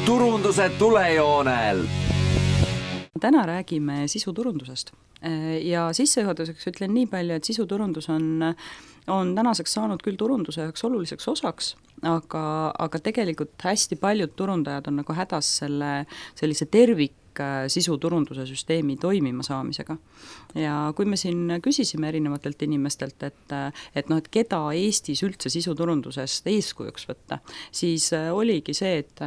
turunduse tulejoonel. Täna räägime sisuturundusest ja sissejuhatuseks ütlen nii palju, et sisuturundus on tänaseks saanud küll turunduse üheks oluliseks osaks, aga tegelikult hästi paljud turundajad on nagu hädas sellise sisuturunduse süsteemi toimima saamisega. Ja kui me siin küsisime erinevatelt inimestelt, et keda Eestis üldse sisuturundusest eeskujuks võtta, siis oligi see, et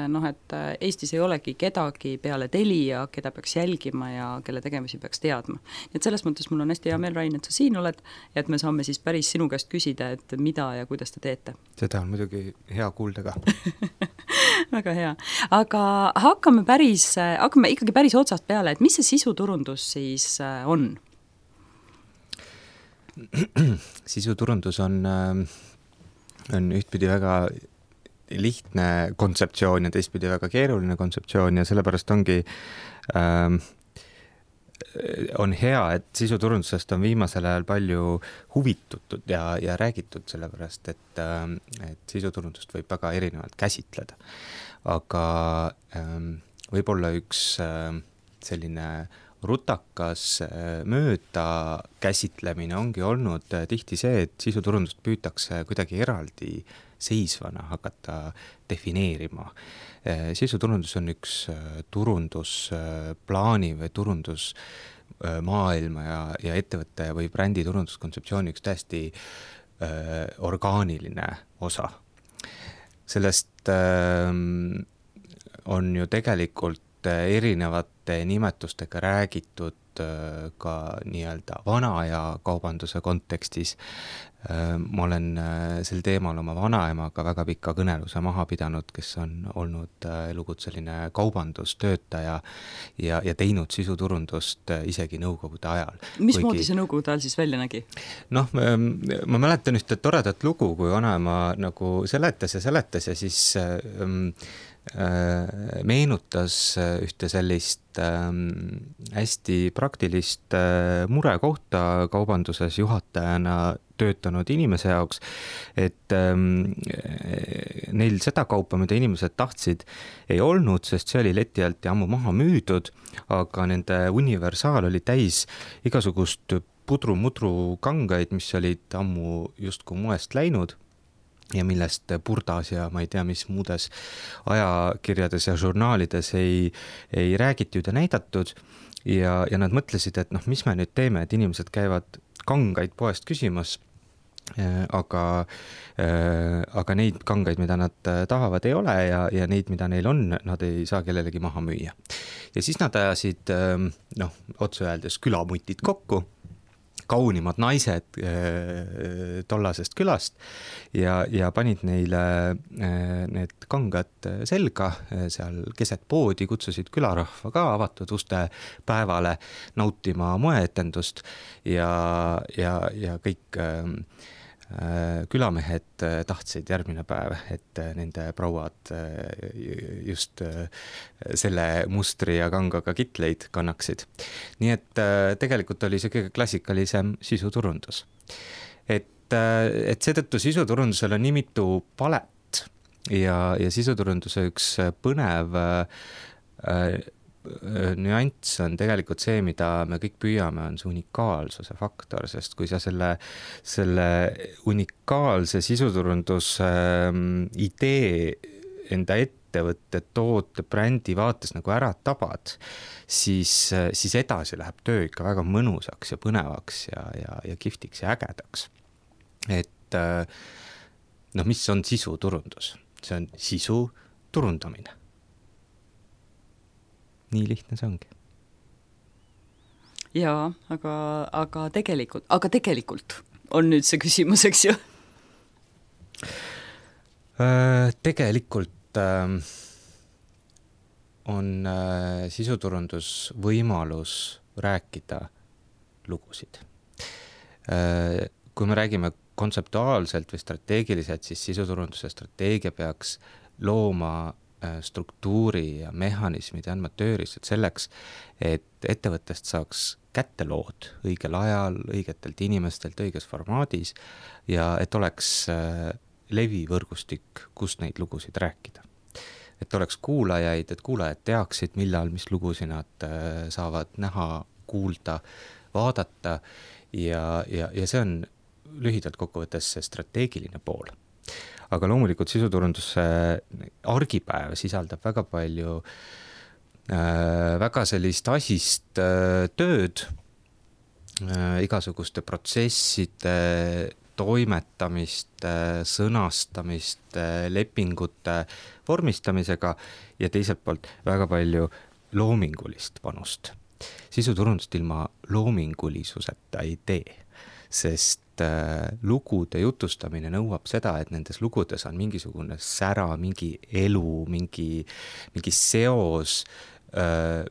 Eestis ei olegi kedagi peale Telia, keda peaks jälgima ja kelle tegemisi peaks teadma. Et selles mõttes mul on hästi hea meel, Rain, et sa siin oled ja et me saame siis päris sinu käest küsida, et mida ja kuidas te teete. Seda on muidugi hea kuulda ka. Väga hea. Aga hakkame ikkagi päris otsast peale, et mis see sisuturundus siis on? Sisuturundus on ühtpidi väga lihtne kontseptsioon ja teistpidi väga keeruline kontseptsioon ja sellepärast on hea, et sisuturundusest on viimasel ajal palju huvitutud ja räägitud sellepärast, et sisuturundust võib väga erinevalt käsitleda. Aga võib-olla üks selline rutakas mööda käsitlemine ongi olnud tihti see, et sisuturundust püütakse kuidagi eraldi seisvana hakata defineerima. Sisuturundus on üks turundusplaani või turundusmaailma ja ettevõtte või brändi turunduskontseptsiooni üks täiesti orgaaniline osa. Sellest on ju tegelikult erinevate nimetustega räägitud ka nii-öelda vana ja kaubanduse kontekstis. Ma olen sel teemal oma vanaemaga väga pikka kõneluse maha pidanud, kes on olnud elukutseline kaubandustöötaja ja teinud sisuturundust isegi nõukogude ajal. Mismoodi see nõukogude ajal siis välja nägi? Ma mäletan ühte toredat lugu, kui vanaema nagu seletas ja siis meenutas ühte sellist hästi praktilist murekohta kaubanduses juhatajana töötanud inimese jaoks, et neil seda kaupa, mida inimesed tahtsid, ei olnud, sest see oli leti alt ja ammu maha müüdud, aga nende universaal oli täis igasugust pudru-mudru kangaid, mis olid ammu justkui moest läinud ja millest Purdas ja ma ei tea, mis muudes ajakirjades ja žurnaalides ei räägitud ja näidatud ja nad mõtlesid, et mis me nüüd teeme, et inimesed käivad kangaid poest küsimas, aga neid kangaid, mida nad tahavad, ei ole ja neid, mida neil on, nad ei saa kellelegi maha müüa. Ja siis nad ajasid, otse öeldes külamutid kokku, kaunimad naised tollasest külast ja panid neile need kangad selga seal keset poodi, kutsusid külarahva ka avatud uste päevale nautima moeetendust ja kõik külamehed tahtsid järgmine päev, et nende prouad just selle mustri ja kangaga kitleid kannaksid. Nii et tegelikult oli see kõige klassikalisem sisuturundus. Et seetõttu sisuturundusel on nii mitu palet ja sisuturunduse üks põnev nüanss on tegelikult see, mida me kõik püüame, on see unikaalsuse faktor, sest kui sa selle unikaalse sisuturunduse idee enda ettevõtte, toote, brändi vaates nagu ära tabad, siis edasi läheb töö ikka väga mõnusaks ja põnevaks ja kihvtiks ja ägedaks. Et mis on sisuturundus? See on sisu turundamine. Nii lihtne see ongi. Jaa, aga tegelikult on nüüd see küsimus, eks ju? Tegelikult on sisuturundus võimalus rääkida lugusid. Kui me räägime kontseptuaalselt või strateegiliselt, siis sisuturunduse strateegia peaks looma struktuuri ja mehhanismid ja andma tööriistad selleks, et ettevõttest saaks kätte lood õigel ajal, õigetelt inimestelt, õiges formaadis ja et oleks levivõrgustik, kust neid lugusid rääkida. et oleks kuulajaid, et kuulajad teaksid, millal, mis lugusid nad saavad näha, kuulda, vaadata ja see on lühidalt kokkuvõttes see strateegiline pool. Aga loomulikult sisuturunduse argipäev sisaldab väga palju väga sellist asist tööd, igasuguste protsesside toimetamist, sõnastamist, lepingute vormistamisega ja teiselt poolt väga palju loomingulist panust. Sisuturundust ilma loomingulisuseta ei tee, sest lugude jutustamine nõuab seda, et nendes lugudes on mingisugune sära, mingi elu, mingi seos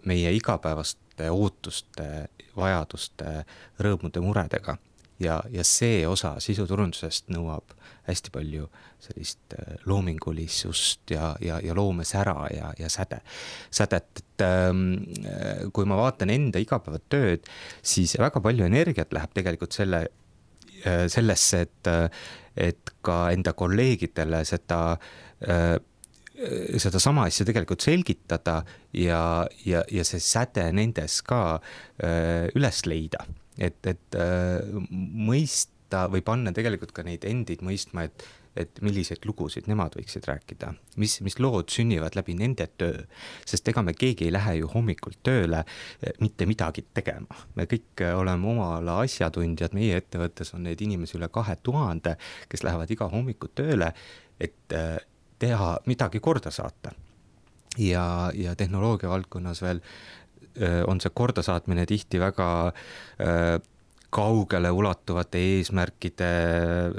meie igapäevaste ootuste, vajaduste, rõõmude, muredega. Ja see osa sisuturundusest nõuab hästi palju sellist loomingulisust ja loomesära ja sädet. Et kui ma vaatan enda igapäevat tööd, siis väga palju energiat läheb tegelikult sellesse, et ka enda kolleegidele seda sama asja tegelikult selgitada ja see säde nendes ka üles leida. Et mõista või panna tegelikult ka neid endid mõistma, et milliseid lugusid nemad võiksid rääkida, mis lood sünnivad läbi nende töö, sest ega me keegi ei lähe ju hommikult tööle mitte midagi tegema. Me kõik oleme omale asjatundjad, meie ettevõttes on neid inimesi üle 2000, kes lähevad iga hommikul tööle, et teha midagi korda saata. Ja tehnoloogia valdkonnas veel on see kordasaatmine tihti väga kaugele ulatuvate eesmärkide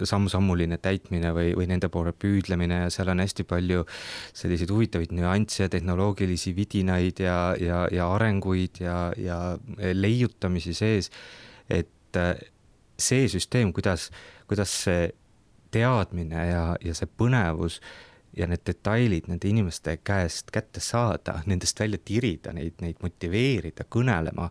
samm-sammuline täitmine või nende poole püüdlemine ja seal on hästi palju selliseid huvitavaid nüansse, tehnoloogilisi vidinaid ja arenguid ja leiutamisi sees, et see süsteem, kuidas see teadmine ja see põnevus ja need detailid nende inimeste käest kätte saada, nendest välja tirida, neid motiveerida, kõnelema,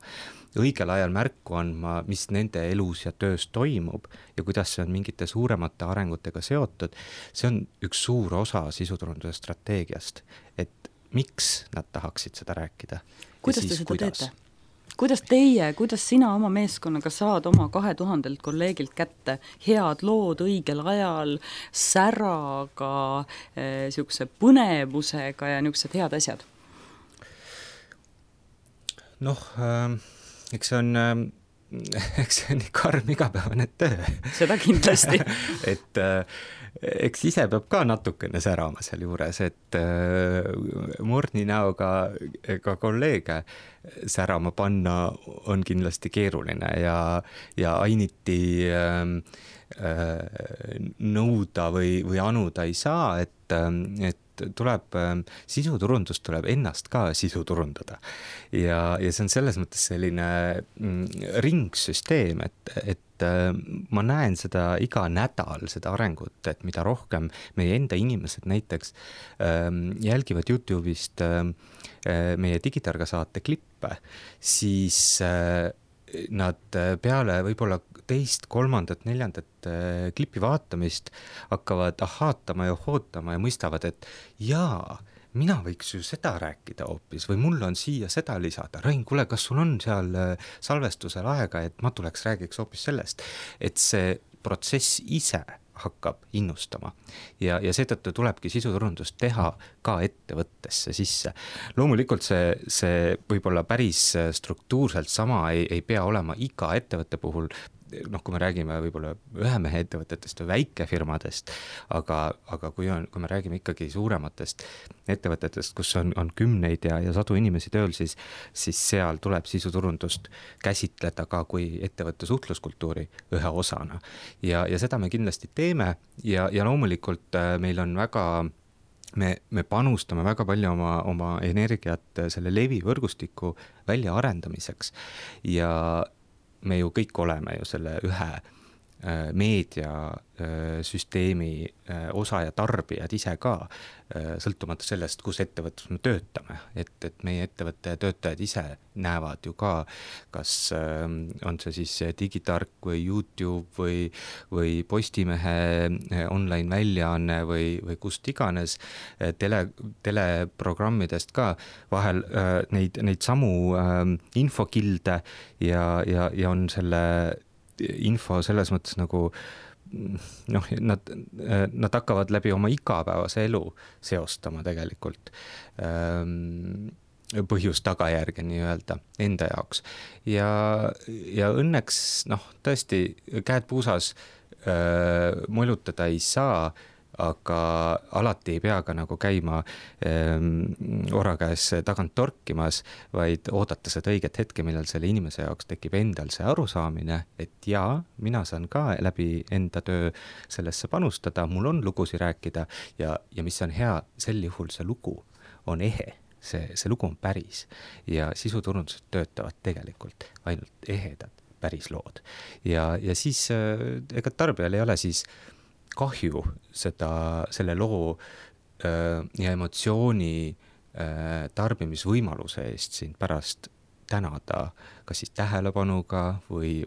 õigel ajal märku andma, mis nende elus ja töös toimub ja kuidas see on mingite suuremate arengutega seotud, see on üks suur osa sisuturunduse strateegiast, et miks nad tahaksid seda rääkida. Kuidas te seda teete? Kuidas sina oma meeskonnaga saad oma 2000 kolleegilt kätte head lood õigel ajal, säraga, siukse põnevusega ja niisugused head asjad? Eks see on nii karm igapäevane töö. Seda kindlasti. Et eks ise peab ka natukene särama seal juures, et morni näoga ka kolleege särama panna on kindlasti keeruline ja ainiti nõuda või anuda ei saa, et sisuturundus tuleb ennast ka sisuturundada. Ja see on selles mõttes selline ringsüsteem, et ma näen seda iga nädal, seda arengut, et mida rohkem meie enda inimesed näiteks jälgivad YouTube'ist meie Digitarga saate klippe, siis nad peale võib-olla 2., 3., 4. klipi vaatamist hakkavad ahaatama ja hootama ja mõistavad, et jaa, mina võiks ju seda rääkida hoopis või mul on siia seda lisada. Rain, kuule, kas sul on seal salvestusel aega, et ma tuleks räägiks hoopis sellest, et see protsess ise hakkab innustama ja seetõttu tulebki sisuturundust teha ka ettevõttesse sisse. Loomulikult see võib-olla päris struktuurselt sama ei pea olema iga ettevõtte puhul, kui me räägime võib-olla ühe mehe ettevõtetest või väikefirmadest, aga kui me räägime ikkagi suurematest ettevõtetest, kus on kümneid ja sadu inimesi tööl, siis seal tuleb sisuturundust käsitleda ka kui ettevõtte suhtluskultuuri ühe osana. Ja seda me kindlasti teeme ja loomulikult meil on me panustame väga palju oma energiat selle levivõrgustiku välja arendamiseks ja me ju kõik oleme ju selle ühe meediasüsteemi osa ja tarbijad ise ka, sõltumata sellest, kus ettevõttes me töötame, et meie ettevõtte töötajad ise näevad ju ka, kas on see siis Digitark või YouTube või Postimehe online väljaanne või kust iganes, teleprogrammidest ka vahel neid samu infokilde ja on selle info selles mõttes nagu nad hakkavad läbi oma igapäevase elu seostama tegelikult põhjus-tagajärge nii-öelda enda jaoks. Ja õnneks tõesti käed puusas molutada ei saa, aga alati ei pea ka nagu käima ora käes tagant torkimas, vaid oodata seda õiget hetke, millal selle inimese jaoks tekib endal see arusaamine, et jaa, mina saan ka läbi enda töö sellesse panustada, mul on lugusid rääkida ja mis on hea, sel juhul see lugu on ehe, see lugu on päris ja sisuturundused töötavad tegelikult ainult ehedad päris lood. Ja siis ega tarbijal ei ole siis kahju selle loo ja emotsiooni tarbimisvõimaluse eest sind pärast tänada kas siis tähelepanuga või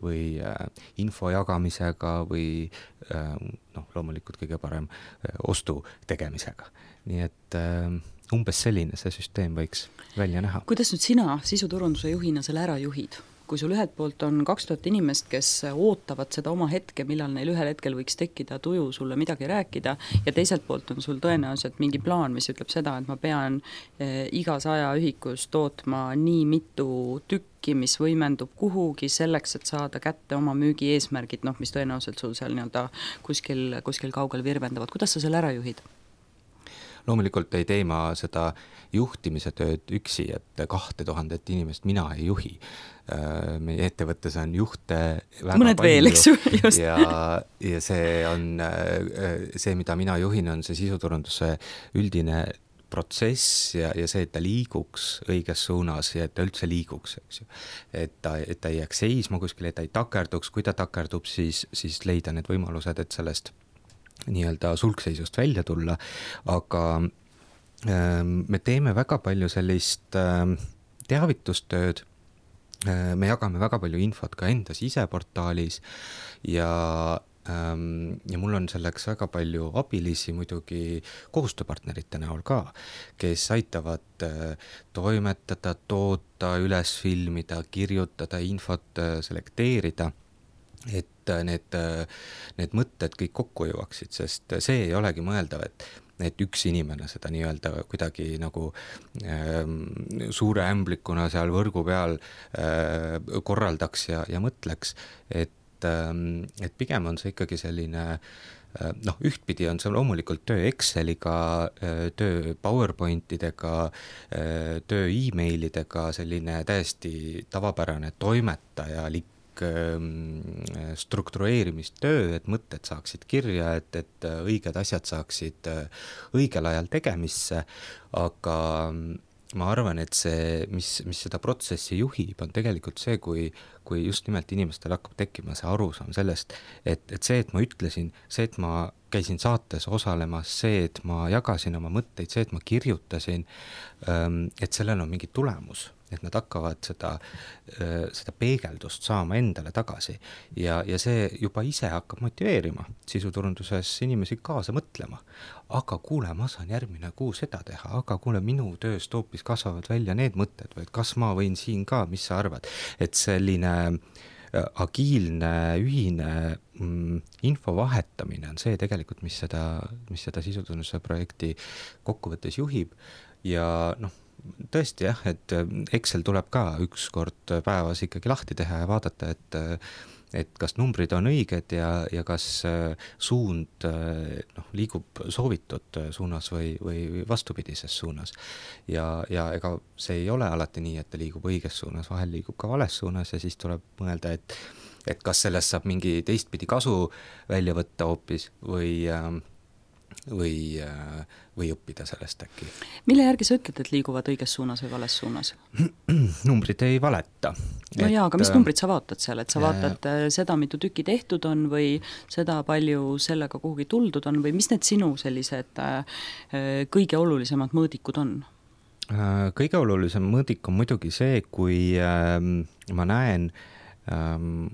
info jagamisega või loomulikult kõige parem ostu tegemisega. Nii et umbes selline see süsteem võiks välja näha. Kuidas nüüd sina sisuturunduse juhina selle ära juhid? Kui sul ühelt poolt on 2000 inimest, kes ootavad seda oma hetke, millal neil ühel hetkel võiks tekkida tuju sulle midagi rääkida ja teiselt poolt on sul tõenäoliselt mingi plaan, mis ütleb seda, et ma pean igas ajaühikus tootma nii mitu tükki, mis võimendub kuhugi selleks, et saada kätte oma müügi eesmärgid, mis tõenäoliselt sul seal nii-öelda kuskil kaugel virvendavad. Kuidas sa selle ära juhid? Loomulikult ei tee ma seda juhtimise tööd üksi, et 2000 inimest mina ei juhi. Meie ettevõttes on juhte väga mõned palju veel, eks ju, just. Ja see on see, mida mina juhin, on see sisuturunduse üldine protsess ja see, et ta liiguks õiges suunas ja et ta üldse liiguks, eks ju. Et ta ei jääks seisma kuskil, et ta ei takerduks, kui ta takerdub, siis leida need võimalused, et sellest nii-öelda sulgseisust välja tulla, aga me teeme väga palju sellist teavitustööd, me jagame väga palju infot ka enda siseportaalis ja mul on selleks väga palju abilisi muidugi koostööpartnerite näol ka, kes aitavad toimetada, toota, üles filmida, kirjutada, infot selekteerida, et need mõtted kõik kokku jõuaksid, sest see ei olegi mõeldav, et üks inimene seda nii-öelda kuidagi nagu suure ämblikuna seal võrgu peal korraldaks ja mõtleks, et pigem on see ikkagi selline ühtpidi on see loomulikult töö Exceliga, töö PowerPointidega, töö e-mailidega, selline täiesti tavapärane toimetajalik struktureerimistöö, et mõtted saaksid kirja, et õiged asjad saaksid õigel ajal tegemisse, aga ma arvan, et see, mis seda protsessi juhib, on tegelikult see, kui just nimelt inimestel hakkab tekkima see arusaam sellest, et see, et ma ütlesin, see, et ma käisin saates osalemas, see, et ma jagasin oma mõtteid, see, et ma kirjutasin, et sellel on mingi tulemus, et nad hakkavad seda peegeldust saama endale tagasi ja see juba ise hakkab motiveerima sisuturunduses inimesi kaasa mõtlema. Aga kuule, ma saan järgmine kuu seda teha, aga kuule, minu tööst hoopis kasvavad välja need mõtted või kas ma võin siin ka, mis sa arvad, et selline agiilne, ühine info vahetamine on see tegelikult, mis seda sisuturunduse projekti kokkuvõttes juhib ja tõesti jah, et Excel tuleb ka üks kord päevas ikkagi lahti teha ja vaadata, et kas numbrid on õiged ja kas suund liigub soovitud suunas või vastupidises suunas. Ja ega see ei ole alati nii, et ta liigub õiges suunas, vahel liigub ka vales suunas ja siis tuleb mõelda, et kas sellest saab mingi teistpidi kasu välja võtta hoopis või või õppida sellest äkki. Mille järgi sa ütled, et liiguvad õiges suunas või vales suunas? Numbrid ei valeta. No jaa, aga mis numbrid sa vaatad seal, et sa vaatad seda, mitu tükki tehtud on või seda, palju sellega kuhugi tuldud on või mis need sinu sellised kõige olulisemad mõõdikud on? Kõige olulisem mõõdik on muidugi see, kui ma näen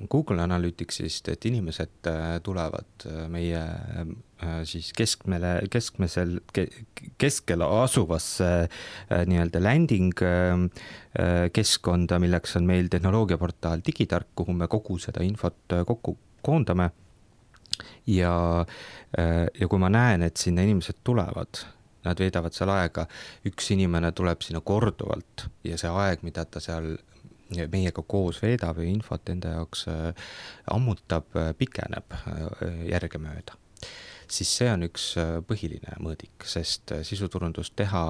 Google Analyticsist, et inimesed tulevad meie siis keskel asuvasse nii-öelda landing keskkonda, milleks on meil tehnoloogiaportaal Digitark, kuhu me kogu seda infot kokku koondame. Ja kui ma näen, et sinna inimesed tulevad, nad veedavad seal aega, üks inimene tuleb sinna korduvalt ja see aeg, mida ta seal meiega koos veedab ja infot enda jaoks ammutab, pikeneb järgemööda, siis see on üks põhiline mõõdik, sest sisuturundust teha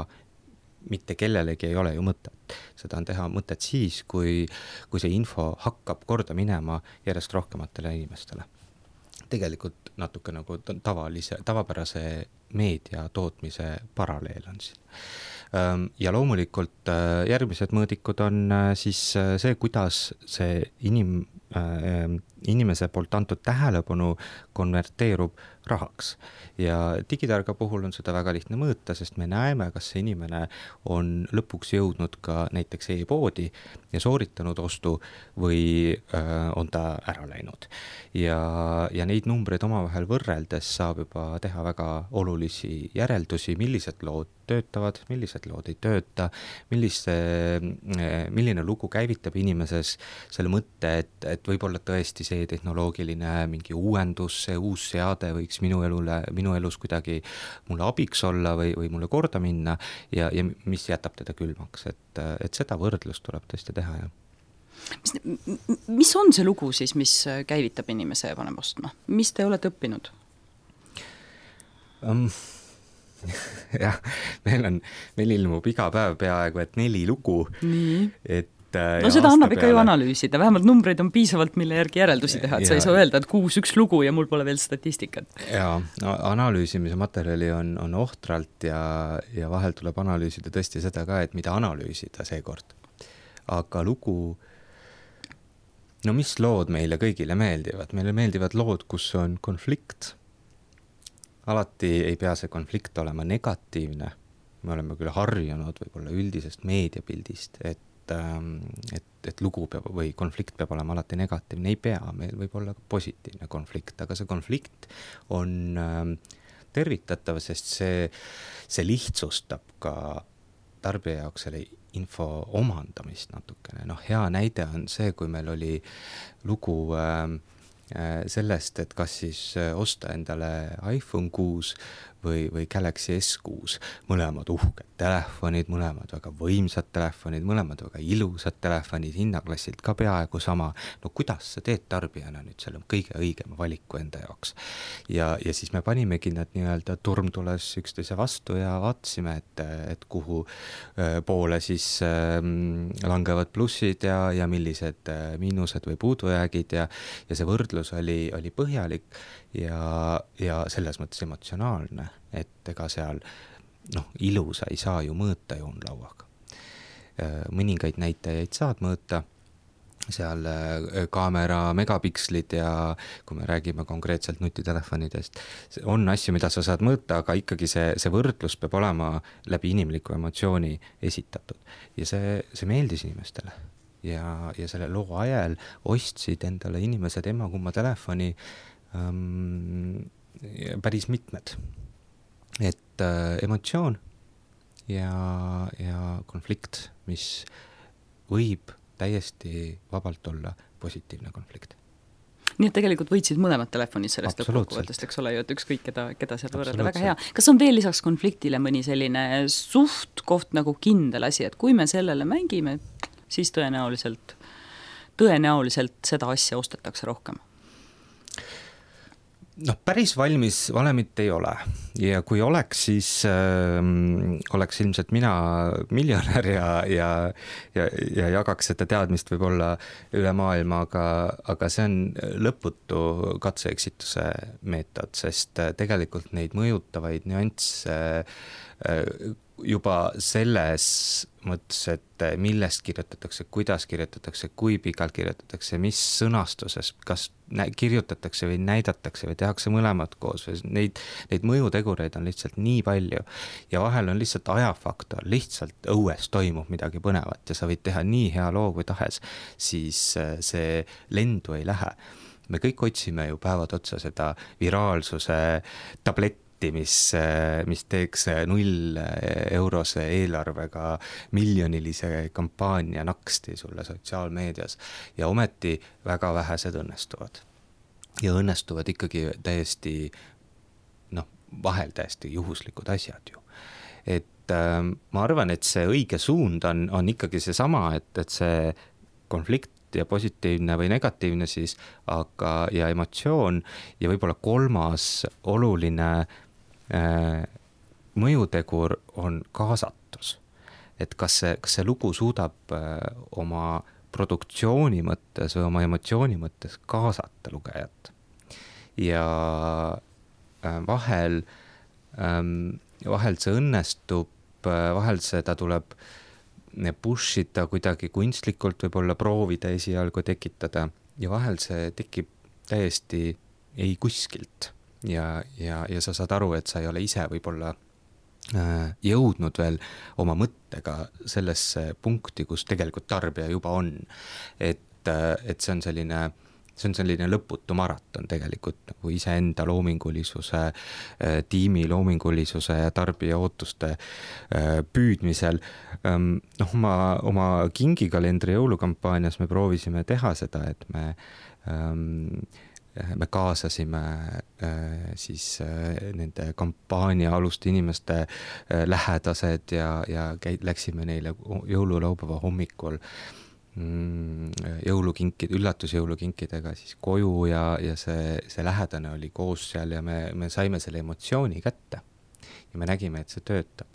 mitte kellelegi ei ole ju mõtet. Seda on teha mõtet siis, kui see info hakkab korda minema järjest rohkematele inimestele. Tegelikult natuke nagu tavapärase meedia tootmise paralleel on siin. Ja loomulikult järgmised mõõdikud on siis see, kuidas see inimese poolt antud tähelepanu konverteerub rahaks. Ja Digitarga puhul on seda väga lihtne mõõta, sest me näeme, kas see inimene on lõpuks jõudnud ka näiteks e-poodi ja sooritanud ostu või on ta ära läinud. Ja neid numbreid omavahel võrreldes saab juba teha väga olulisi järeldusi, millised lood töötavad, millised lood ei tööta, milline lugu käivitab inimeses selle mõtte, et võib-olla tõesti see tehnoloogiline mingi uuendus, see uus seade võiks minu elus kuidagi mulle abiks olla või mulle korda minna ja mis jätab teda külmaks, et seda võrdlust tuleb tõesti teha, jah. Mis on see lugu siis, mis käivitab inimese ja paneb ostma? Mis te olete õppinud? Jah, meil ilmub iga päev peaaegu, et 4 lugu. Nii. No seda annab ikka ju analüüsida, vähemalt numbreid on piisavalt, mille järgi järeldusi teha, et sa ei saa öelda, et 6 lugu ja mul pole veel statistikat. Jaa, no analüüsimise materjali on ohtralt ja vahel tuleb analüüsida tõesti seda ka, et mida analüüsida seekord. Aga lugu, no mis lood meile kõigile meeldivad? Meile meeldivad lood, kus on konflikt. Alati ei pea see konflikt olema negatiivne. Me oleme küll harjunud võib-olla üldisest meediapildist, et lugu või konflikt peab olema alati negatiivne. Ei pea, meil võib olla positiivne konflikt, aga see konflikt on tervitatav, sest see lihtsustab ka tarbija jaoks selle info omandamist natukene. Hea näide on see, kui meil oli lugu sellest, et kas siis osta endale iPhone 6 või Galaxy S6, mõlemad uhked telefonid, mõlemad väga võimsad telefonid, mõlemad väga ilusad telefonid, hinnaklassilt ka peaaegu sama. No kuidas sa teed tarbijana nüüd selle kõige õigema valiku enda jaoks? Ja siis me panimegi nad nii-öelda turmtules üksteise vastu ja vaatasime, et kuhu poole siis langevad plussid ja millised miinused või puudujäägid ja see võrdlus oli põhjalik ja selles mõttes emotsionaalne, et ega seal ilusa ei saa ju mõõta joonlauaga. Mõningaid näitajaid saad mõõta, seal kaamera megapikslid ja kui me räägime konkreetselt nutitelefonidest, on asju, mida sa saad mõõta, aga ikkagi see võrdlus peab olema läbi inimliku emotsiooni esitatud. Ja see meeldis inimestele. Ja selle loo ajal ostsid endale inimesed emma-kumma telefoni päris mitmed. Et emotsioon ja konflikt, mis võib täiesti vabalt olla positiivne konflikt. Nii et tegelikult võitsid mõlemad telefonid sellest lõppkokkuvõttest, eks ole ju, et ükskõik keda seal võrrelda, väga hea. Kas on veel lisaks konfliktile mõni selline suht koht nagu kindel asi, et kui me sellele mängime, siis tõenäoliselt seda asja ostetakse rohkem? Noh, päris valmis valemit ei ole ja kui oleks, siis oleks ilmselt mina miljonär ja jagaks seda teadmist võib-olla üle maailma, aga see on lõputu katse-eksituse meetod, sest tegelikult neid mõjutavaid nüansse juba selles mõttes, et millest kirjutatakse, kuidas kirjutatakse, kui pikalt kirjutatakse, mis sõnastuses, kas kirjutatakse või näidatakse või tehakse mõlemad koos, neid mõjutegureid on lihtsalt nii palju ja vahel on lihtsalt ajafaktor, lihtsalt õues toimub midagi põnevat ja sa võid teha nii hea loo kui tahes, siis see lendu ei lähe. Me kõik otsime ju päevad otsa seda viraalsuse tabletti, mis teeks 0 eurose eelarvega miljonilise kampaania naksti sulle sotsiaalmeedias ja ometi väga vähesed õnnestuvad. Ja õnnestuvad ikkagi täiesti, vahel täiesti juhuslikud asjad ju. Et ma arvan, et see õige suund on ikkagi see sama, et see konflikt ja positiivne või negatiivne siis, ja emotsioon ja võib-olla kolmas oluline mõjutegur on kaasatus. Et kas see lugu suudab oma produktsiooni mõttes või oma emotsiooni mõttes kaasata lugejat. Ja vahel see õnnestub, vahel seda tuleb push ida kuidagi kunstlikult, võib-olla proovida esialgu tekitada ja vahel see tekib täiesti ei kuskilt. Ja sa saad aru, et sa ei ole ise võib-olla jõudnud veel oma mõttega sellesse punkti, kus tegelikult tarbija juba on. Et see on selline lõputu maraton tegelikult nagu iseenda loomingulisuse, tiimi loomingulisuse ja tarbija ootuste püüdmisel. Oma kingikalendri jõulukampaanias me proovisime teha seda, et me kaasasime siis nende kampaania aluste inimeste lähedased ja läksime neile jõululaupäeva hommikul üllatusjõulukinkidega siis koju ja see lähedane oli koos seal ja me saime selle emotsiooni kätte ja me nägime, et see töötab.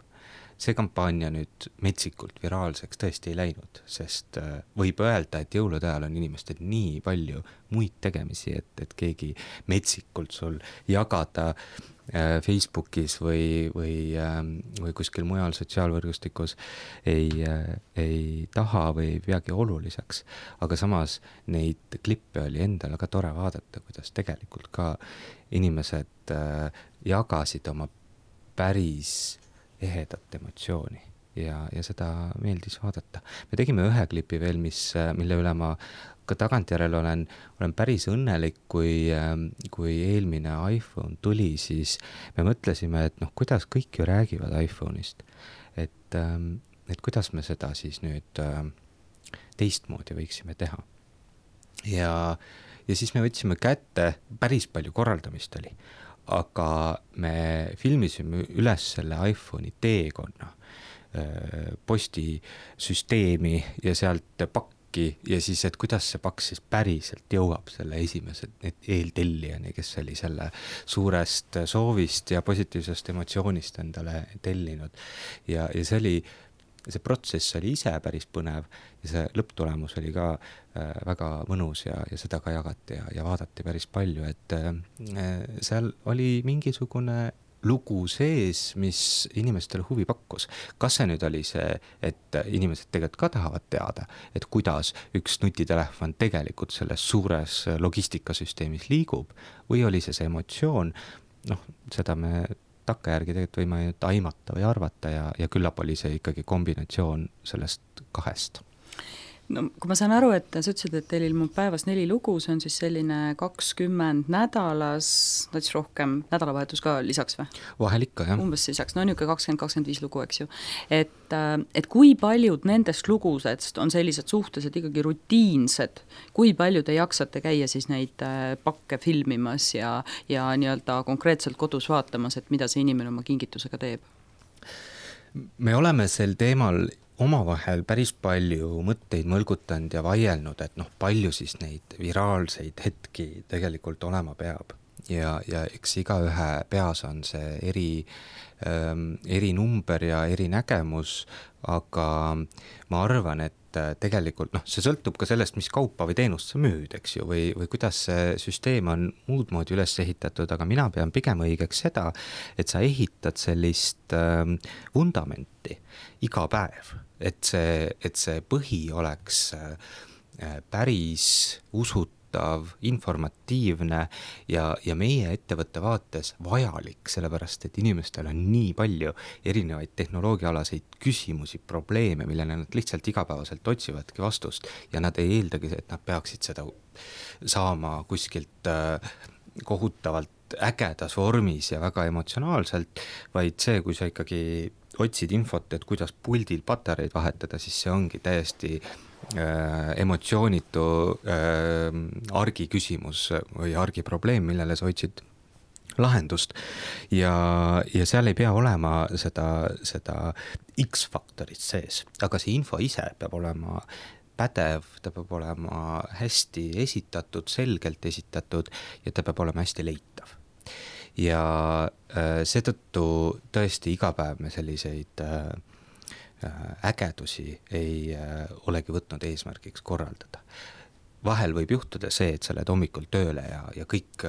See kampaania nüüd metsikult viraalseks tõesti ei läinud, sest võib öelda, et jõulude ajal on inimestel nii palju muid tegemisi, et keegi metsikult sul jagada Facebookis või kuskil mujal sotsiaalvõrgustikus ei taha või ei peagi oluliseks. Aga samas neid klippe oli endale ka tore vaadata, kuidas tegelikult ka inimesed jagasid oma päris ehedat emotsiooni ja seda meeldis vaadata. Me tegime ühe klipi veel, mille üle ma ka tagantjärel olen päris õnnelik, kui eelmine iPhone tuli, siis me mõtlesime, et kuidas kõik ju räägivad iPhone'ist, et kuidas me seda siis nüüd teistmoodi võiksime teha. Ja siis me võtsime kätte, päris palju korraldamist oli, aga me filmisime üles selle iPhone'i teekonna, postisüsteemi ja sealt pakki ja siis, et kuidas see pakk siis päriselt jõuab selle esimese eeltellijani, kes oli selle suurest soovist ja positiivsest emotsioonist endale tellinud. Ja see protsess oli ise päris põnev ja see lõpptulemus oli ka väga mõnus ja seda ka jagati ja vaadati päris palju, et seal oli mingisugune lugu sees, mis inimestele huvi pakkus. Kas see nüüd oli see, et inimesed tegelikult ka tahavad teada, et kuidas üks nutitelefon tegelikult selles suures logistikasüsteemis liigub või oli see emotsioon, seda me takkajärgi tegelikult võime aimata või arvata ja küllap oli see ikkagi kombinatsioon sellest kahest. No, kui ma saan aru, et sa ütlesid, et teil ilmub päevas 4 lugu, see on siis selline 20 nädalas, näiteks rohkem, nädalavahetus ka lisaks või? Vahel ikka, jah. Umbes lisaks, niisugune 20-25 lugu, eks ju. Et kui paljud nendest lugusest on sellised suhteliselt ikkagi rutiinsed, kui palju te jaksate käia siis neid pakke filmimas ja nii-öelda konkreetselt kodus vaatamas, et mida see inimene oma kingitusega teeb? Me oleme sel teemal omavahel päris palju mõtteid mõlgutanud ja vaielnud, et palju siis neid viraalseid hetki tegelikult olema peab. ja eks igaühe peas on see eri number ja eri nägemus, aga ma arvan, et tegelikult see sõltub ka sellest, mis kaupa või teenust sa müüd, eks ju, või kuidas see süsteem on muud moodi üles ehitatud, aga mina pean pigem õigeks seda, et sa ehitad sellist vundamenti iga päev, et see põhi oleks päris usutav, informatiivne ja meie ettevõtte vaates vajalik, sellepärast et inimestel on nii palju erinevaid tehnoloogiaalaseid küsimusi, probleeme, millele nad lihtsalt igapäevaselt otsivadki vastust ja nad ei eeldagi, et nad peaksid seda saama kuskilt kohutavalt ägedas vormis ja väga emotsionaalselt, vaid see, kui sa ikkagi otsid infot, et kuidas puldil patareid vahetada, siis see ongi täiesti emotsioonitu argiküsimus või argiprobleem, millele sa otsid lahendust ja seal ei pea olema seda X-faktorit sees, aga see info ise peab olema pädev, ta peab olema hästi esitatud, selgelt esitatud ja ta peab olema hästi leitav. Ja seetõttu tõesti iga päev me selliseid ägedusi ei olegi võtnud eesmärgiks korraldada. Vahel võib juhtuda see, et sa oled hommikul tööle ja kõik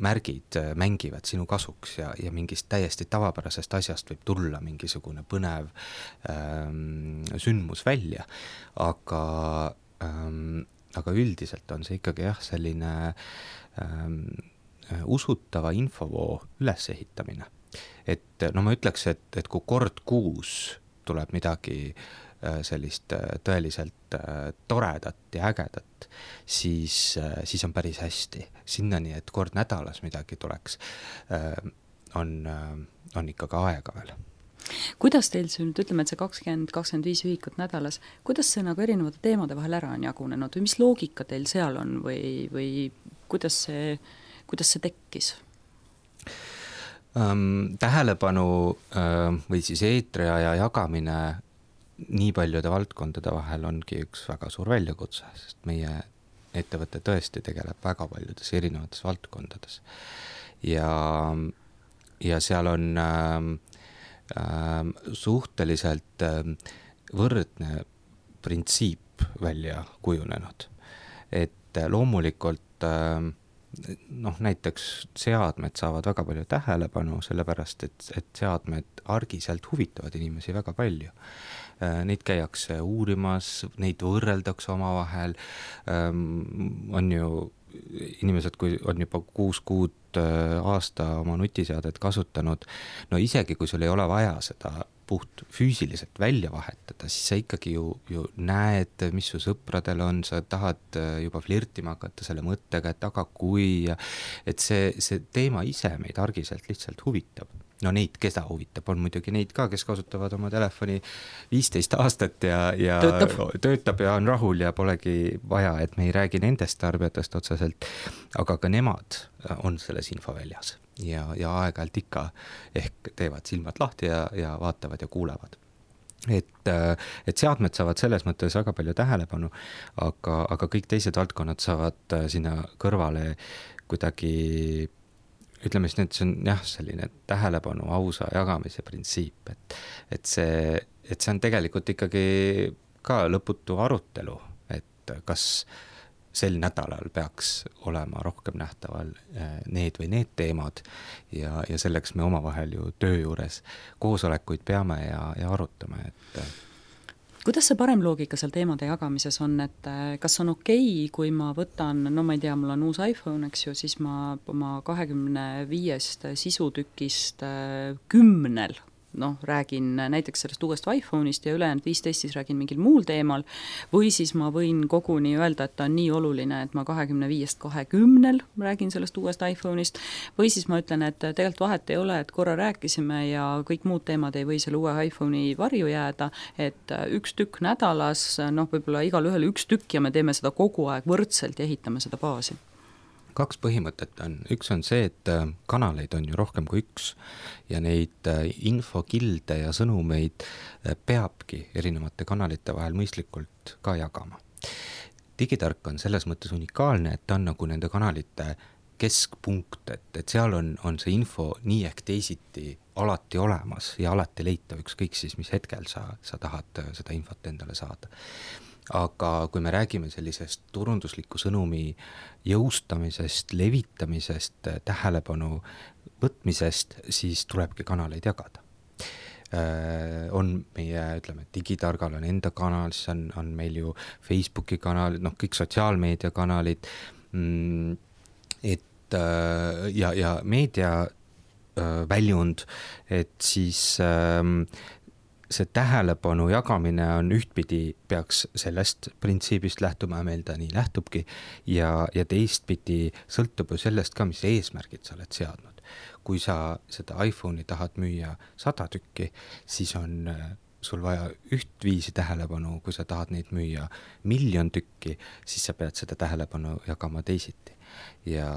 märgid mängivad sinu kasuks ja mingist täiesti tavapärasest asjast võib tulla mingisugune põnev sündmus välja, aga üldiselt on see ikkagi selline usutava infovoo ülesehitamine. Et ma ütleks, et kui kord kuus tuleb midagi sellist tõeliselt toredat ja ägedat, siis on päris hästi. Sinnani, et kord nädalas midagi tuleks, on ikkagi aega veel. Kuidas teil see nüüd, ütleme, et see 20-25 ühikut nädalas, kuidas see nagu erinevate teemade vahel ära on jagunenud või mis loogika teil seal on või kuidas see tekkis? Tähelepanu või siis eetriaja jagamine nii paljude valdkondade vahel ongi üks väga suur väljakutse, sest meie ettevõte tõesti tegeleb väga paljudes erinevates valdkondades ja seal on suhteliselt võrdne printsiip välja kujunenud, et loomulikult näiteks seadmed saavad väga palju tähelepanu, sellepärast et seadmed argiselt huvitavad inimesi väga palju. Neid käiakse uurimas, neid võrreldakse omavahel, on ju inimesed, kui on juba 6 kuud aasta oma nutiseadet kasutanud, no isegi kui sul ei ole vaja seda puht füüsiliselt välja vahetada, siis sa ikkagi ju näed, mis su sõpradel on, sa tahad juba flirtima hakata selle mõttega, et aga kui, et see teema ise meid argiselt lihtsalt huvitab. No neid, keda huvitab, on muidugi neid ka, kes kasutavad oma telefoni 15 aastat ja töötab ja on rahul ja polegi vaja, et me ei räägi nendest tarbijatest otseselt, aga ka nemad on selles infoväljas ja aeg-ajalt ikka ehk teevad silmad lahti ja vaatavad ja kuulevad. Et seadmed saavad selles mõttes väga palju tähelepanu, aga kõik teised valdkonnad saavad sinna kõrvale kuidagi, ütleme siis, see on selline tähelepanu ausa jagamise printsiip, et see on tegelikult ikkagi ka lõputu arutelu, et kas sel nädalal peaks olema rohkem nähtaval need või need teemad ja selleks me omavahel ju töö juures koosolekuid peame ja arutame, Kuidas see parem loogika seal teemade jagamises on, et kas on okei, kui ma võtan, ma ei tea, mul on uus iPhone, eks ju, siis ma oma 25 sisutükist 10 räägin näiteks sellest uuest iPhone'ist ja ülejäänud 15 siis räägin mingil muul teemal, või siis ma võin koguni öelda, et ta on nii oluline, et ma 25-20 räägin sellest uuest iPhone'ist, või siis ma ütlen, et tegelikult vahet ei ole, et korra rääkisime ja kõik muud teemad ei või selle uue iPhone'i varju jääda, et üks tükk nädalas, võib-olla igal ühel üks tükk ja me teeme seda kogu aeg võrdselt ja ehitame seda baasi. 2 põhimõtet on. Üks on see, et kanaleid on ju rohkem kui üks ja neid infokilde ja sõnumeid peabki erinevate kanalite vahel mõistlikult ka jagama. Digitark on selles mõttes unikaalne, et ta on nagu nende kanalite keskpunkt, et seal on see info nii ehk teisiti alati olemas ja alati leitav, ükskõik siis, mis hetkel sa tahad seda infot endale saada. Aga kui me räägime sellisest turundusliku sõnumi jõustamisest, levitamisest, tähelepanu võtmisest, siis tulebki kanaleid jagada. On meie, ütleme, Digitargal on enda kanal, siis on meil ju Facebooki kanal, kõik sotsiaalmeedia kanalid, et ja meedia väljund, et siis see tähelepanu jagamine on ühtpidi, peaks sellest printsiibist lähtuma, meil ta nii lähtubki, ja teistpidi sõltub ju sellest ka, mis eesmärgid sa oled seadnud. Kui sa seda iPhone'i tahad müüa 100 tükki, siis on sul vaja ühtviisi tähelepanu, kui sa tahad neid müüa 1 000 000 tükki, siis sa pead seda tähelepanu jagama teisiti. Ja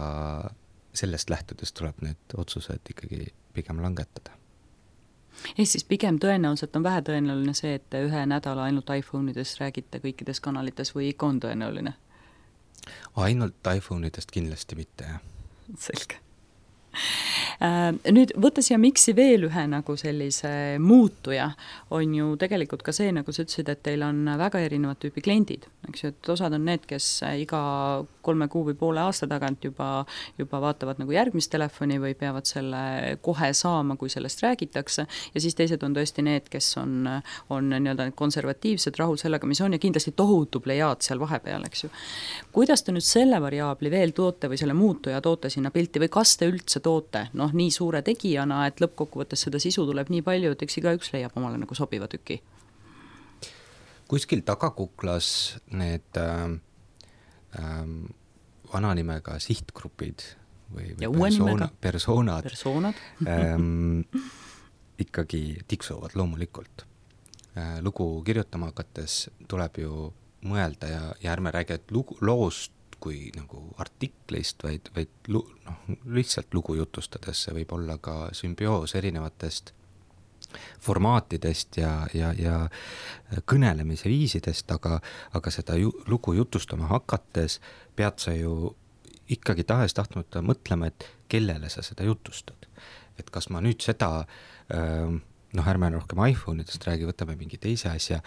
sellest lähtudes tuleb need otsused ikkagi pigem langetada. Siis pigem tõenäoliselt on vähetõenäoline see, et te ühe nädala ainult iPhone'idest räägite kõikides kanalites või ikka on tõenäoline? Ainult iPhone'idest kindlasti mitte, jah. Selge. Nüüd võtta siia miksi veel ühe nagu sellise muutuja, on ju tegelikult ka see, nagu sa ütlesid, et teil on väga erinevad tüüpi kliendid, eks ju, et osad on need, kes iga 3 kuu või poole aasta tagant juba vaatavad nagu järgmist telefoni või peavad selle kohe saama, kui sellest räägitakse, ja siis teised on tõesti need, kes on nii-öelda konservatiivsed, rahul sellega, mis on, ja kindlasti tohutu plejaad seal vahepeal, eks ju. Kuidas te nüüd selle variaabli veel toote või selle muutuja toote sinna pilti või kas te üldse toote, nii suure tegijana, et lõppkokkuvõttes seda sisu tuleb nii palju, et eks igaüks leiab omale nagu sobiva tüki? Kuskil tagakuklas need vananimega sihtgrupid või persoonad ikkagi tiksuvad loomulikult. Lugu kirjutama hakates tuleb ju mõelda ja ärme räägi, et loost kui nagu artiklist, vaid lihtsalt lugu jutustades, see võib olla ka sümbioos erinevatest formaatidest ja kõnelemise viisidest, aga seda lugu jutustama hakates pead sa ju ikkagi tahes-tahtmata mõtlema, et kellele sa seda jutustad. Et kas ma nüüd seda, ärme rohkem iPhone'idest räägi, võtame mingi teise asja,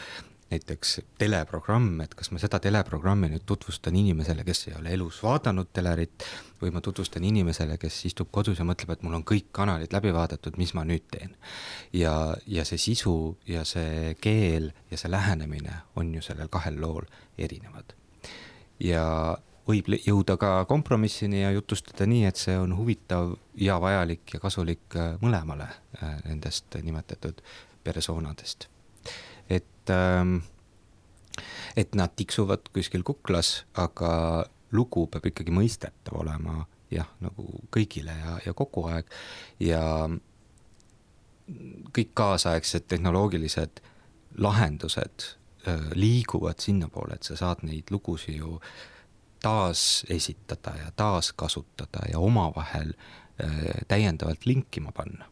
näiteks teleprogramm, et kas ma seda teleprogrammi nüüd tutvustan inimesele, kes ei ole elus vaadanud telerit, või ma tutvustan inimesele, kes istub kodus ja mõtleb, et mul on kõik kanalid läbi vaadatud, mis ma nüüd teen. Ja see sisu ja see keel ja see lähenemine on ju sellel kahel lool erinevad. Ja võib jõuda ka kompromissini ja jutustada nii, et see on huvitav ja vajalik ja kasulik mõlemale nendest nimetatud persoonadest. Et nad tiksuvad kuskil kuklas, aga lugu peab ikkagi mõistetav olema nagu kõigile ja kogu aeg ja kõik kaasaegsed tehnoloogilised lahendused liiguvad sinna poole, et sa saad neid lugusid ju taas esitada ja taas kasutada ja omavahel täiendavalt linkima panna.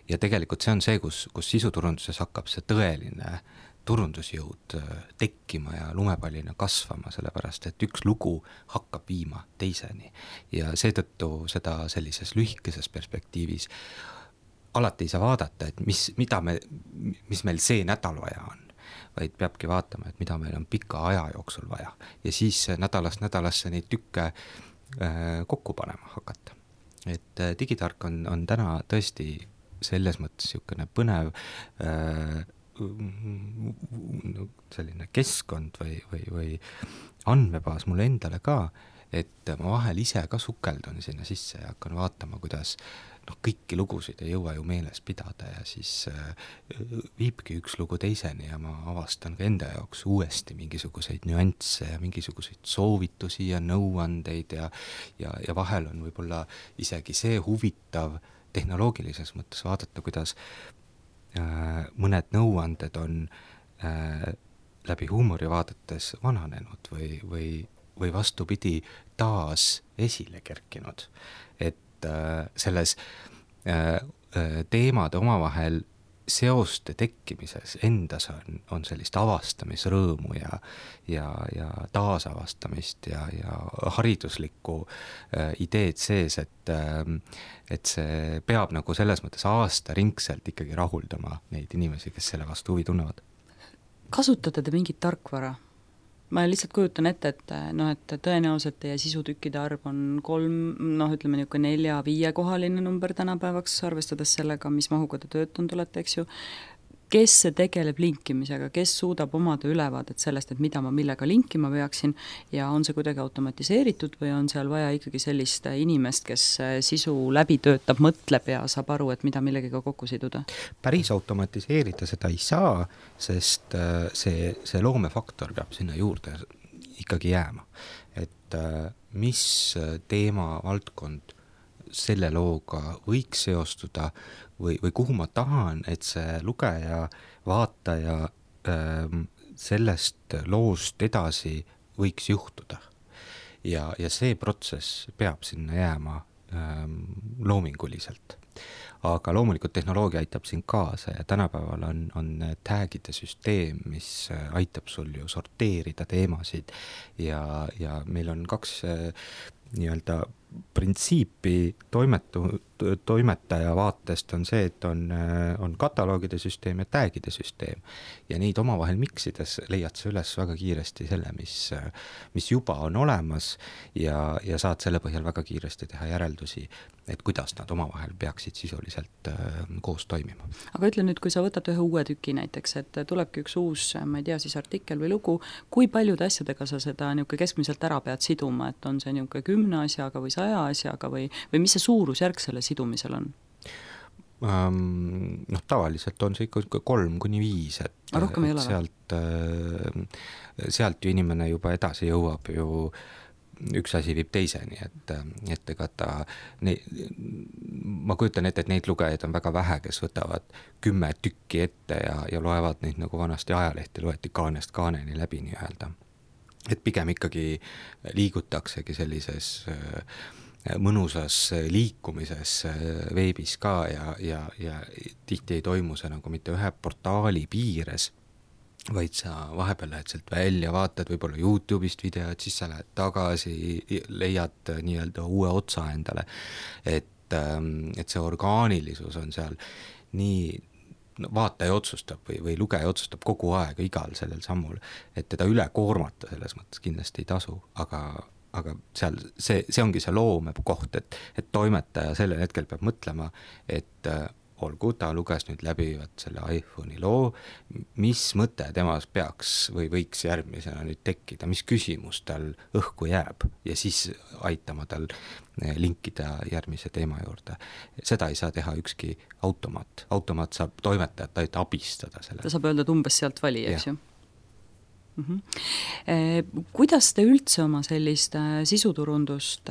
Ja tegelikult see on see, kus sisuturunduses hakkab see tõeline turundusjõud tekkima ja lumepallina kasvama, sellepärast et üks lugu hakkab viima teiseni. Ja seetõttu seda sellises lühikeses perspektiivis alati ei saa vaadata, et mis meil see nädal vaja on, vaid peabki vaatama, et mida meil on pika aja jooksul vaja. Ja siis nädalast nädalasse neid tükke kokku panema hakata. Et Digitark on täna tõesti selles mõttes niisugune põnev selline keskkond või andmebaas mulle endale ka, et ma vahel ise ka sukeldun sinna sisse ja hakkan vaatama, kuidas kõiki lugusid ei jõua ju meeles pidada ja siis viibki üks lugu teiseni ja ma avastan ka enda jaoks uuesti mingisuguseid nüansse ja mingisuguseid soovitusi ja nõuandeid ja vahel on võib-olla isegi see huvitav tehnoloogilises mõttes vaadata, kuidas mõned nõuanded on läbi huumori vaadates vananenud või vastupidi taas esile kerkinud. Et selles teemade omavahel seoste tekkimises endas on sellist avastamisrõõmu ja taasavastamist ja hariduslikku ideed sees, et see peab nagu selles mõttes aastaringselt ikkagi rahuldama neid inimesi, kes selle vastu huvi tunnevad. Kasutate te mingit tarkvara? Ma lihtsalt kujutan ette, et tõenäoliselt teie sisutükkide arv on 3, ütleme 4-5 kohaline number tänapäevaks, arvestades sellega, mis mahuga te töötanud olete, eks ju. Kes see tegeleb linkimisega, kes suudab omada ülevaadet sellest, et mida ma millega linkima peaksin ja on see kuidagi automatiseeritud või on seal vaja ikkagi sellist inimest, kes sisu läbi töötab, mõtleb ja saab aru, et mida millegagi kokku siduda? Päris automatiseerida seda ei saa, sest see loomefaktor peab sinna juurde ikkagi jääma. Et mis teema valdkond selle looga võiks seostuda või kuhu ma tahan, et see lugeja, vaataja sellest loost edasi võiks juhtuda. Ja see protsess peab sinna jääma loominguliselt. Aga loomulikult tehnoloogia aitab siin kaasa ja tänapäeval on tagide süsteem, mis aitab sul ju sorteerida teemasid ja meil on 2 nii-öelda printsiipi toimetaja vaatest on see, et on kataloogide süsteem ja tagide süsteem ja neid omavahel miksides leiad sa üles väga kiiresti selle, mis juba on olemas ja saad selle põhjal väga kiiresti teha järeldusi, et kuidas nad omavahel peaksid sisuliselt koos toimima. Aga ütle nüüd, kui sa võtad ühe uue tüki näiteks, et tulebki üks uus, ma ei tea, siis artikkel või lugu, kui paljude asjadega sa seda keskmiselt ära pead siduma, et on see 10 asjaga või 100 asjaga või mis see suurusjärg selle sidumisel on? Tavaliselt on see ikka 3-5, et rohkem ei ole sealt ju inimene juba edasi jõuab ju üks asi viib teiseni, et ega ma kujutan ette, et neid lugejaid on väga vähe, kes võtavad 10 tükki ette ja loevad neid nagu vanasti ajalehti, loeti kaanest kaaneni läbi nii-öelda. Et pigem ikkagi liigutaksegi sellises mõnusas liikumises veebis ka ja tihti ei toimu see nagu mitte ühe portaali piires, vaid sa vahepeal lähed sealt välja, vaatad võib-olla YouTube'ist videot, siis sa lähed tagasi, leiad nii-öelda uue otsa endale, et see orgaanilisus on seal nii vaataja otsustab või lugeja otsustab kogu aeg igal sellel sammul, et teda üle koormata selles mõttes kindlasti ei tasu, aga seal see ongi see loome koht, et toimetaja sellel hetkel peab mõtlema, et olgu, ta luges nüüd läbi selle iPhone'i loo, mis mõte temas peaks või võiks järgmisena nüüd tekkida, mis küsimus tal õhku jääb ja siis aitama tal linkida järgmise teema juurde. Seda ei saa teha ükski automaat. Automaat saab toimetajat ainult abistada selle. Ta saab öelda, et umbes sealt vali, eks ju? Kuidas te üldse oma sellist sisuturundust,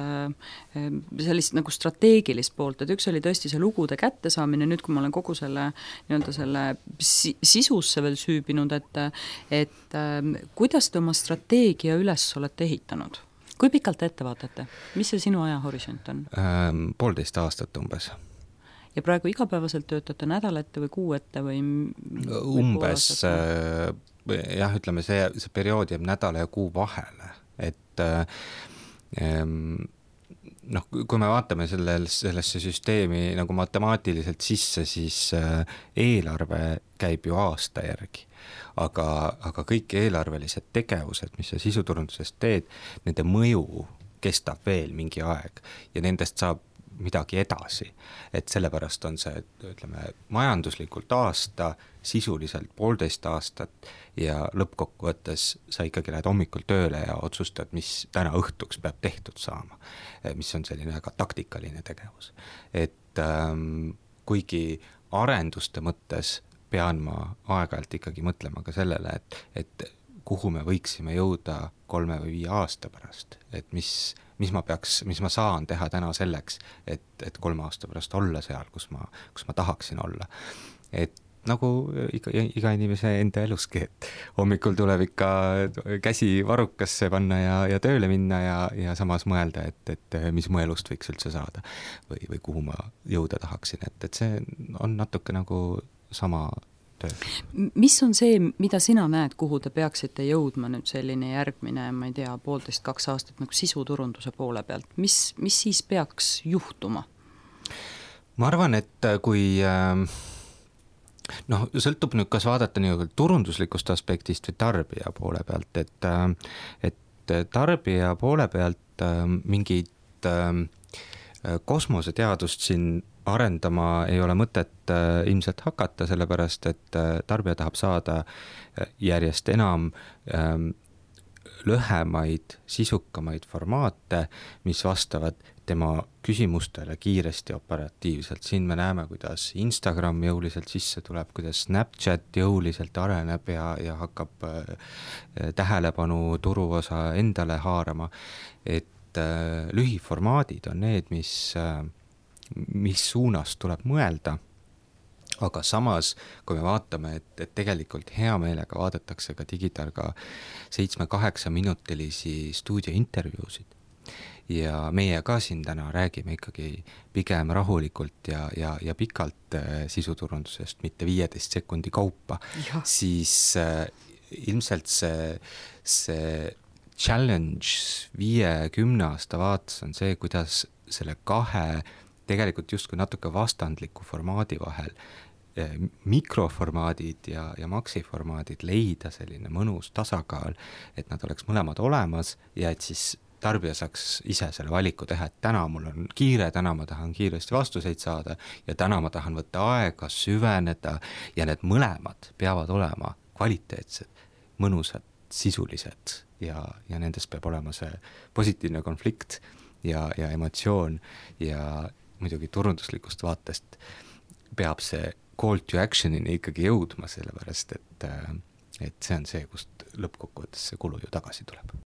sellist nagu strateegilist poolt, et üks oli tõesti see lugude kättesaamine, nüüd kui ma olen kogu selle sisusse veel süübinud, et kuidas te oma strateegia üles olete ehitanud? Kui pikalt te ette vaatate? Mis see sinu ajahorisont on? 1,5 aastat umbes. Ja praegu igapäevaselt töötate nädal ette või kuu ette või umbes jah, ütleme see periood jääb nädala ja kuu vahele, et kui me vaatame sellesse süsteemi nagu matemaatiliselt sisse, siis eelarve käib ju aasta järgi, aga kõik eelarvelised tegevused, mis sa sisuturunduses teed, nende mõju kestab veel mingi aeg ja nendest saab midagi edasi, et sellepärast on see, ütleme, majanduslikult aasta, sisuliselt 1,5 aastat ja lõppkokkuvõttes sa ikkagi lähed hommikul tööle ja otsustad, mis täna õhtuks peab tehtud saama, mis on selline väga taktikaline tegevus. Et kuigi arenduste mõttes pean ma aeg-ajalt ikkagi mõtlema ka sellele, et kuhu me võiksime jõuda 3 või 5 aasta pärast, et mis ma saan teha täna selleks, et 3 aasta pärast olla seal, kus ma tahaksin olla. Et nagu iga inimese enda eluski, et hommikul tuleb ikka käsi varukasse panna ja tööle minna ja samas mõelda, et mis mu elust võiks üldse saada või kuhu ma jõuda tahaksin, et see on natuke nagu sama töö. Mis on see, mida sina näed, kuhu te peaksite jõudma nüüd selline järgmine, ma ei tea, 1,5–2 aastat nagu sisuturunduse poole pealt, mis siis peaks juhtuma? Ma arvan, et kui sõltub nüüd, kas vaadata nii turunduslikust aspektist või tarbija poole pealt, et tarbija poole pealt mingid kosmoseteadust siin arendama ei ole mõtet ilmselt hakata, sellepärast et tarbija tahab saada järjest enam lühemaid, sisukamaid formaate, mis vastavad tema küsimustele kiiresti operatiivselt. Siin me näeme, kuidas Instagram jõuliselt sisse tuleb, kuidas Snapchat jõuliselt areneb ja hakkab tähelepanu turuosa endale haarama. Et lühiformaadid on need, mis suunas tuleb mõelda. Aga samas, kui me vaatame, et tegelikult hea meelega vaadatakse ka Digitarga 7-8 minutilisi stuudiointervjuusid ja meie ka siin täna räägime ikkagi pigem rahulikult ja pikalt sisuturundusest, mitte 15 sekundi kaupa, siis ilmselt see challenge 5-10 aasta vaates on see, kuidas selle kahe tegelikult justkui natuke vastandliku formaadi vahel mikroformaadid ja maksiformaadid leida selline mõnus tasakaal, et nad oleks mõlemad olemas ja et siis tarbija saaks ise selle valiku teha, et täna mul on kiire, täna ma tahan kiiresti vastuseid saada ja täna ma tahan võtta aega, süveneda ja need mõlemad peavad olema kvaliteetsed, mõnusad, sisulised ja nendes peab olema see positiivne konflikt ja emotsioon ja muidugi turunduslikust vaatest peab see call to action'ini ikkagi jõudma, sellepärast et see on see, kust lõppkokkuvõttes see kulu ju tagasi tuleb.